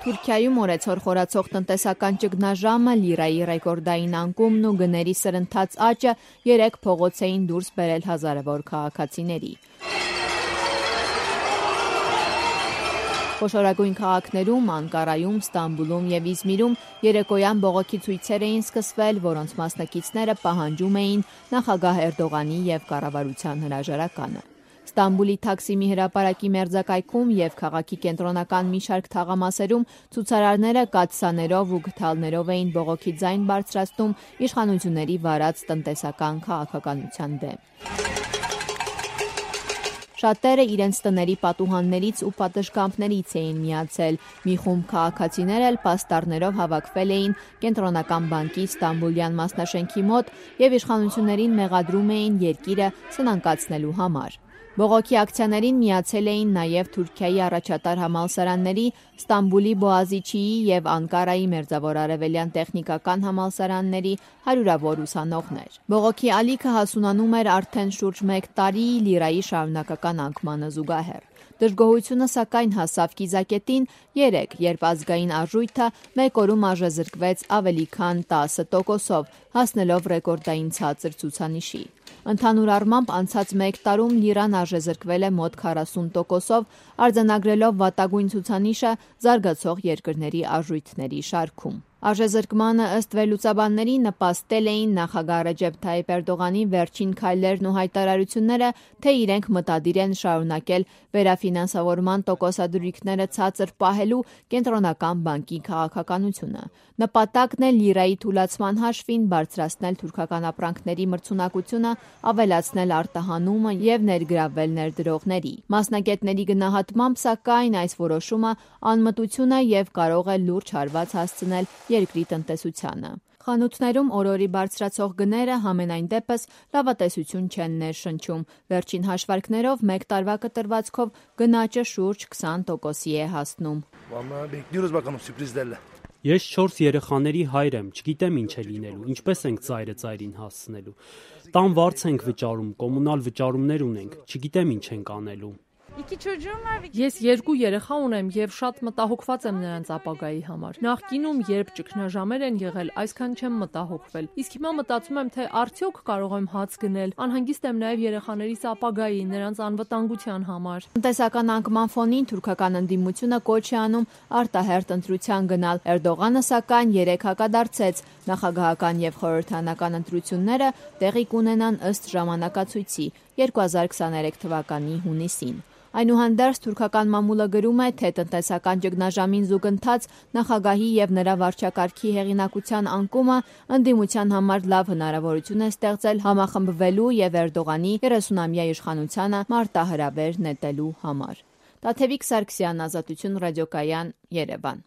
Թուրքիայում օրեցօր խորացող տնտեսական ճգնաժամը, լիրայի ռեկորդային անկումն ու գների սրընթաց աճը 3 փողոց էին դուրս բերել հազարավոր քաղաքացիների։ Խոշորագույն քաղաքներում, Անկարայում, Ստամբուլում և Իզմիրում երեկոյան բողոքի ցույցեր էին սկսվել, որոնց մասնակիցները պահանջում էին նախագահ Էրդողանի և կառավարության հրաժարականը։ Ստամբուլի Թաքսիմի հրապարակի մերձակայքում և քաղաքի կենտրոնական մի շարք թաղամասերում ցուցարարները կաթսաներով ու գդալներով էին բողոքի ձայն բարձրացնում իշխանությունների վարած տնտեսական քաղաքականության դեմ։ Շատերը իրենց տների պատուհաններից ու պատշգամբներից էին միացել։ Մի խումբ քաղաքացիներ էլ պաստառներով հավաքվել էին Կենտրոնական բանկի Ստամբուլյան մասնաշենքի մոտ և իշխանություններին մեղադրում էին երկիրը սնանկացնելու համար։ Բողոքի ակցիաներին միացել էին նաև Թուրքիայի առաջատար համալսարանների, Ստամբուլի Բոğaziçi'ի և Անկարայի մերձավոր արևելյան տեխնիկական համալսարանների հարյուրավոր ուսանողներ։ Բողոքի ալիքը հասունանում էր արդեն շուրջ 1 տարի լիրայի շարունակական անկմանը զուգահեռ։ Դժգոհությունը սակայն հասավ կիզակետին 3, երբ ազգային արժույթը մեկ օրում արժեզրկվեց ավելի քան 10%-ով, հասնելով ռեկորդային ցածր ցուցանիշի։ Ընդհանուր առմամբ անցած 1 տարում լիրան արժեզրկվել է մոտ 40%-ով, արձանագրելով վատագույն ցուցանիշը զարգացող երկրների արժույթների շարքում։ Արժեզրկմանը ըստ վերլուծաբանների նպաստել էին նախագահ Ռեջեփ Թայիփ Էրդողանի վերջին քայլերն ու հայտարարությունները, թե իրենք մտադիր են շարունակել վերաֆինանսավորման տոկոսադրույքները ցածր պահելու Կենտրոնական բանկի քաղաքականությունը։ Նպատակն է լիրայի թուլացման հաշվին բարձրացնել թուրքական ապրանքների մրցունակությունը, ավելացնել արտահանումը և ներգրավել ներդրողների։ Մասնագետների գնահատմամբ, սակայն, այս որոշումը անմտություն է և կարող է լուրջ հարված հասցնել երկրի տնտեսությանը։ Խանութներում օրորի բարձրացող գները համենայն դեպս լավատեսություն չեն ներշնչում։ Վերջին հաշվարկներով 1 տարվա կտրվածքով գնաճը շուրջ 20%-ի է հասնում։ Ես 4 երեխաների հայր եմ, չգիտեմ ինչ է լինելու, ինչպես ենք ծայրը ծայրին հասցնելու։ Տան վարձ ենք վճարում, կոմունալ վճարումներ ունենք, չգիտեմ ինչ ենք անելու։ Ես 2 երեխա ունեմ և շատ մտահոգված եմ նրանց ապագայի համար։ Նախկինում, երբ ճգնաժամեր են եղել, այսքան չեմ մտահոգվել։ Իսկ հիմա մտածում եմ, թե արդյոք կարող եմ հաց գնել։ Անհանգիստ եմ նաև երեխաներիս ապագայի, նրանց անվտանգության համար։ Տնտեսական անկման ֆոնին թուրքական ընդդիմությունը կոչ է անում արտահերթ ընտրության գնալ։ Էրդողանը սակայն 3 հակադարձեց։ Նախագահական և խորհրդարանական ընտրությունները տեղի կունենան ըստ ժամանակացույցի 2023 թվականի հունիսին։ Այնուհանդերձ թուրքական մամուլը գրում է, թե տնտեսական ճգնաժամին զուգընթաց նախագահի և նրա վարչակարգի հեղինակության անկումը ընդդիմության համար լավ հնարավորություն է ստեղծել համախմբվելու և Էրդողանի 30-ամյա իշխանությանը մարտահրավեր նետելու համար։ Տաթևիկ Սարգսյան, Ազատություն ռադիոկայան, Երևան։